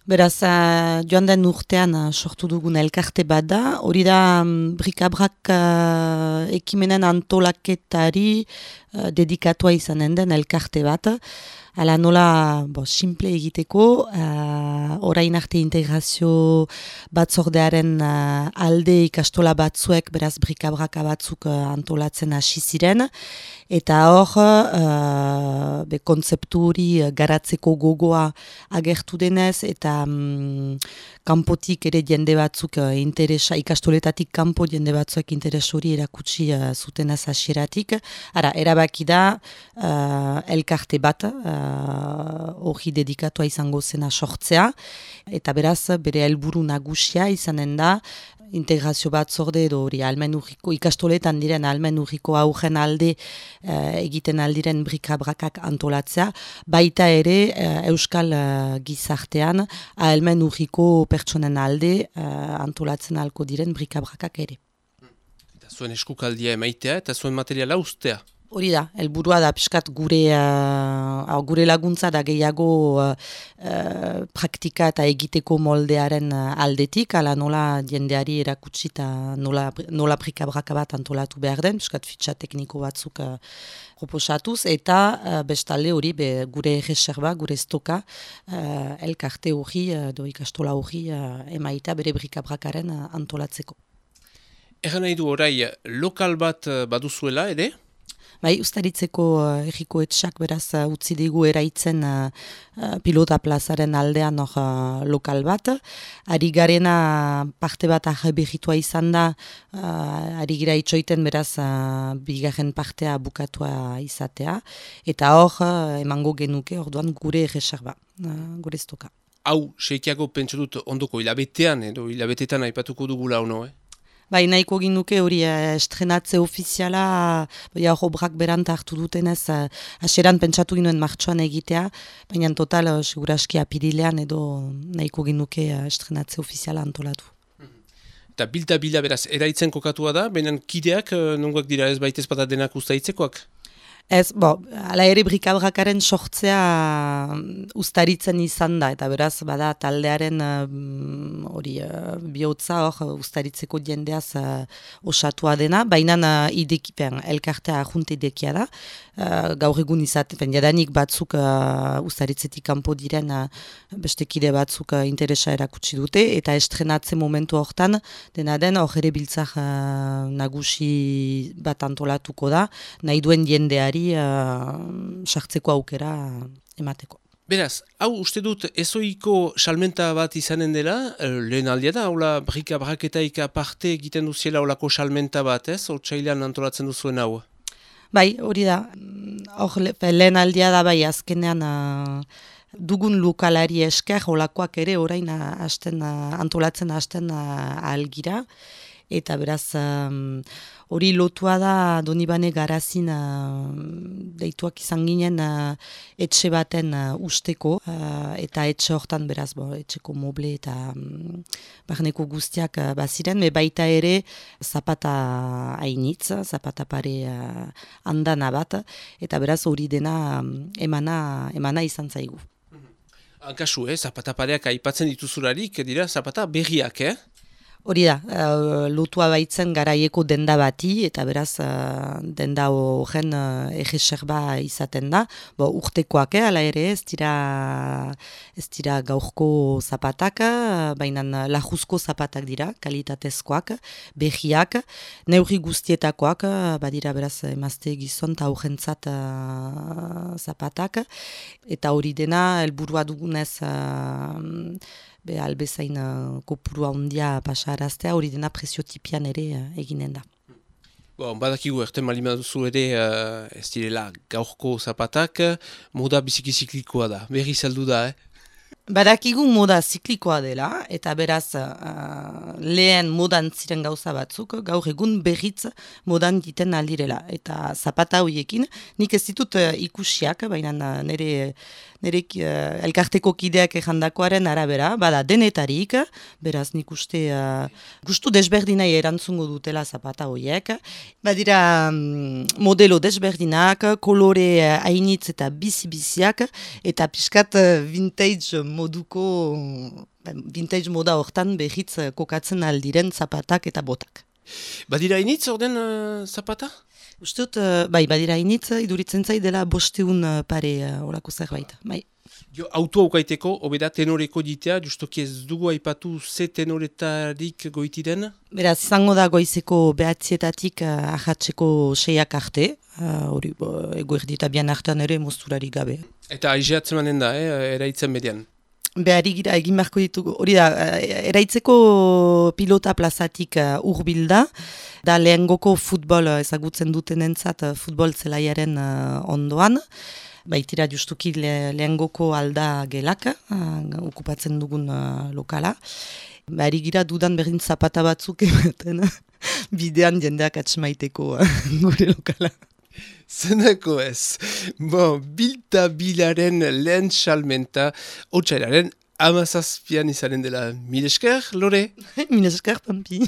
Beraz, joan den urtean sortu dugun elkarte bat da, hori da brikabrak ekimenen antolaketari dedikatua izanen den elkarte bat. Hala nola simple egiteko, orain arte integrazio batzordearen alde ikastola batzuek, beraz brikabraka batzuk antolatzen hasi ziren, eta hor kontzeptu hori garatzeko gogoa agertu denez, eta kanpotik ere jende batzuk ikastoletatik kanpo jende batzuk interes hori erakutsi zutenaz hasieratik. Ara, erabaki da elkarte bat, hori dedikatua izango zena sortzea, eta beraz bere helburu nagusia izanen da integrazio batzorde edo hori ikastoletan diren ahalmen urriko aurren alde egiten aldiren brikabrakak antolatzea, baita ere euskal gizartean ahalmen urriko pertsonen alde antolatzen alko diren brikabrakak ere. Eta zuen eskukaldia emaitea eta zuen materiala ustea. Hori da, helburua da pixkat gure laguntza da gehiago praktika eta egiteko moldearen aldetik, ala nola jendeari erakutsi eta nola brikabraka bat antolatu behar den, pixkat fitxa tekniko batzuk proposatuz, eta bestalde hori gure reserva, gure stoka, elkarte hori, ikastola hori emaita bere brikabrakaren antolatzeko. Egan nahi du orai, lokal bat baduzuela, ere? Bai, Uztaritzeko erriko etxak beraz utzi digu eraitzen pilota plazaren aldean lokal bat. Ari garena parte bat berritua izan da, ari gira itxoiten beraz bigarren partea bukatua izatea. Eta hor emango genuke orduan gure reserva, gure stoka. Hau, seikiago pentsu dut ondoko hilabetean edo hilabetetan aipatuko dugula ono, Bai, nahiko ginuke hori estrenatze ofiziala, obrak berant hartu dutenez, haseran pentsatu ginoen martxoan egitea, baina total, seguraski apirilean edo nahiko ginuke estrenatze ofiziala antolatu. Eta bilda beraz, eraitzen kokatua da, baina kideak nongoak dira ez baitez bada denak ustaitzekoak? Ez, ala ere brikabrakaren sortzea Uztaritzen izan da, eta beraz, bada taldearen bihotza hor Uztaritzeko jendeaz osatua dena, baina idekipen, elkartea ajunte idekia da, gaur egun izaten, jadanik batzuk Uztaritzetik kanpo diren beste kide batzuk interesa erakutsi dute, eta estrenatze momentu hortan, dena den, hor ere biltzak nagusi bat antolatuko da, nahi duen jendeari sartzeko aukera emateko. Beraz, hau uste dut ezoiko salmenta bat izanen dela, lehen aldia da, hola brikabraketaik aparte egiten duziela holako salmenta bat, ez? Otsailean antolatzen duzuen hau? Bai, hori da. Hor lehen aldia da bai azkenean dugun lokalari esker holakoak ere orain antolatzen hasten ahalgira. Eta beraz, hori lotua da Donibane Garazin deituak izan ginen etxe baten usteko, eta etxe hortan beraz, etxeko moble eta barneko guztiak baziren, baita ere zapata hainitz, zapata pare andana bat, eta beraz hori dena emana izan zaigu. Hankasu, zapata pareak aipatzen dituzularik, dira zapata berriak, Hori da, lotua baitzen garaieko denda bati, eta beraz denda horren erreserba izaten da. Urtekoak, ala ere, ez dira gaurko zapatak, baina lajuzko zapatak dira, kalitatezkoak, behiak, neurri guztietakoak, badira beraz emazte gizon eta horrentzat zapatak, eta hori dena helburua dugunez albezain kopurua handia pasaraztea, hori dena preziotipian ere eginen da. Badakigu erten malima duzu ere ez direla gaurko zapatak, moda biziki ziklikoa da, berri saldu da, Badakigu moda ziklikoa dela, eta beraz lehen modan ziren gauza batzuk, gaur egun berriz modan diten aldirela. Eta zapata horiekin, nik ez ditut ikusiak, baina nire elkarteko kideak ejandakoaren arabera, bada denetarik, beraz nik uste gustu desberdinai erantzungo dutela zapata horiek. Badira modelo desberdinak, kolore hainitz eta bizi-biziak, eta pixkat vintage moda hortan behitz kokatzen aldiren zapatak eta botak. Badira initz orden zapata? Uste dut, badira initz, iduritzen zai dela 500 pare horako zerbait. Bai. Auto aukaiteko, obeda tenoreko ditea, justoki ez dugu aipatu ze tenoretarik goiti den? Beraz, izango da goizeko 9:00 ahatzeko 6 arte, hori eguerdi eta bian artean ere mozturari gabe. Eta aizeatzen manen da, eraitzen median? Behari gira egin beharko ditugu, hori da, eraitzeko pilota plazatik hurbilda, da lehengoko futbol ezagutzen dutenentzat futbol zelaiaren ondoan, baitira justuki lehengoko alda gelak, okupatzen dugun lokala. Behari gira dudan berdin zapata batzuk ematen, bidean jendeak atxemaiteko gure lokala. Zenako ez. Bilta bilaren lehen salmenta, otsailaren 17 izanen dela. Mil esker, Lore? Mil esker, Pampi.